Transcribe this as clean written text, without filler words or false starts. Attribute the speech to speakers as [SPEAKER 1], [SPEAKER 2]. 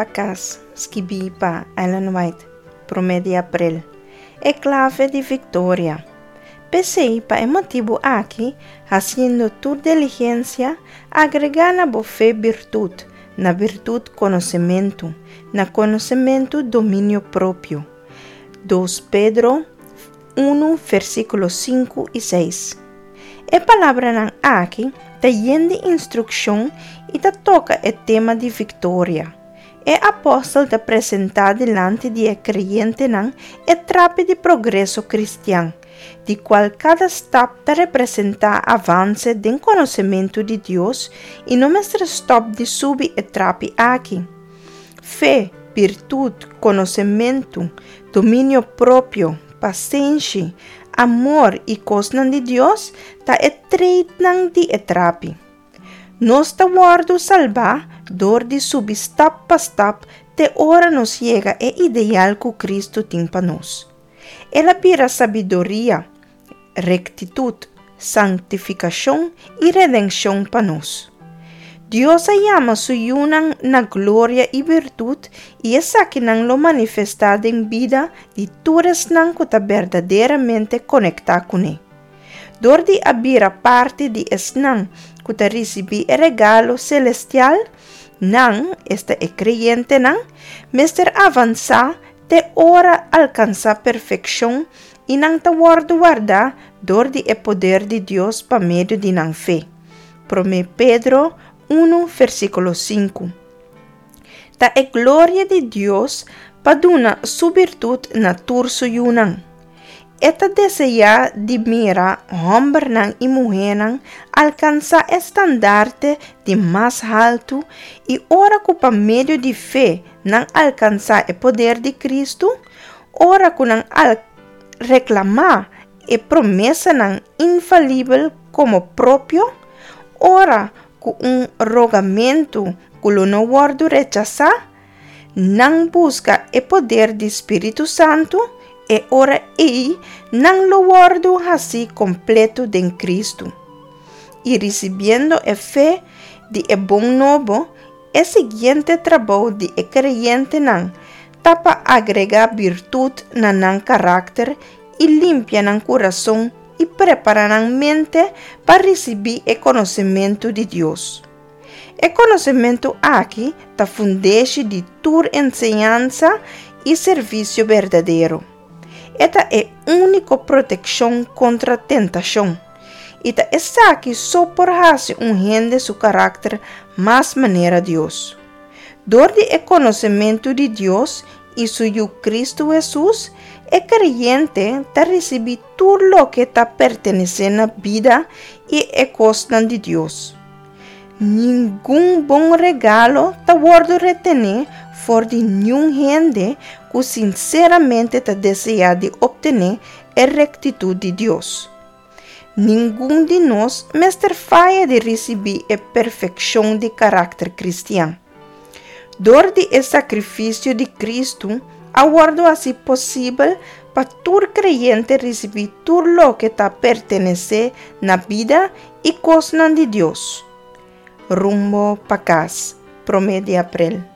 [SPEAKER 1] pa Kas, skibí pa Ellen White, promé di aprel. E klave di viktoria. P'esei, pa e motibu aki, hasiendo tur diligensia, agregá na bo fe birtut, na birtut konosementu, na konosementu dominio propio. Dos Pedro unu versíkulo sinku i seis. E palabranan aki ta yen di instrukshon i ta toka e tema di viktoria. E apòstel ta presentá dilanti di e kreyentenan e trapi di progreso kristian, di kual kada stap ta representá avanse den konosementu di Dios i no mester stòp di subi e trapi aki. Fe, birtut, konosementu, dominio propio, pasenshi, amor i kosnan di Dios ta e treitnan di e trapi. Nos ta wòrdu salbá dor di subi stap pa stap te ora nos yega e ideal ku Kristu tin pa nos. El a bira sabiduria, rektitut, sanktifikashon i redenshon pa nos. Dios a yama su yunan na gloria i birtut i esakinan lo manifestá den bida di tur esnan ku ta berdaderamente konektá kuné. Dor di a bira parti di esnan ku ta risibí e regalo selestial, nan, esta e kreyentenan, mester avansá te ora alkansá perfekshon i nan ta wòrdu wardá dor di e poder di Dios pa medio di nan fe. Promé Pedro unu versíkulo sinku. Ta e gloria di Dios pa duna su birtut na tur su yunan. E ta deseá di mira hòmbernan i muhénan alkansá e standarte di mas haltu i ora ku pa medio di fe nan alkansá e poder di Kristu, Ora ku nan al reklamá e promesanan infalibel komo propio, ora ku un rogamentu ku lo no wòrdu rechasá, nan buska e poder di Spiritu Santu, e ora ei nan lo wòrdu hasí kompletu den Kristu. I risibiendo e fe di e bon nobo, e siguiente trabou di e kreyentenan ta pa agregá birtut na nan karakter i limpia nan kurason i prepará nan mente pa risibí e konosementu di Dios. E konosementu aki ta fundeshi di tur enseñansa i servisio berdadero. E ta e úniko protekshon kontra tentashon, i ta esaki so por hasi un hende su karakter mas manera Dios. Dor di e konosementu di Dios i su Yu Kristu Hesus, e kreyente ta risibí tur loke ta pertenesé na bida i e kosnan di Dios. Ningun bon regalo ta wòrdu retené for di niun hende ku sinseramente ta deseá di optené e rektitut di Dios. Ningun di nos mester faya di risibí e perfekshon di karakter kristian. Dor di e sakrifisio di Kristu a wòrdu hasi posibel pa tur kreyente risibí tur loke ta pertenesé na bida i kosnan di Dios. Rumbo pa kas, promé di aprel.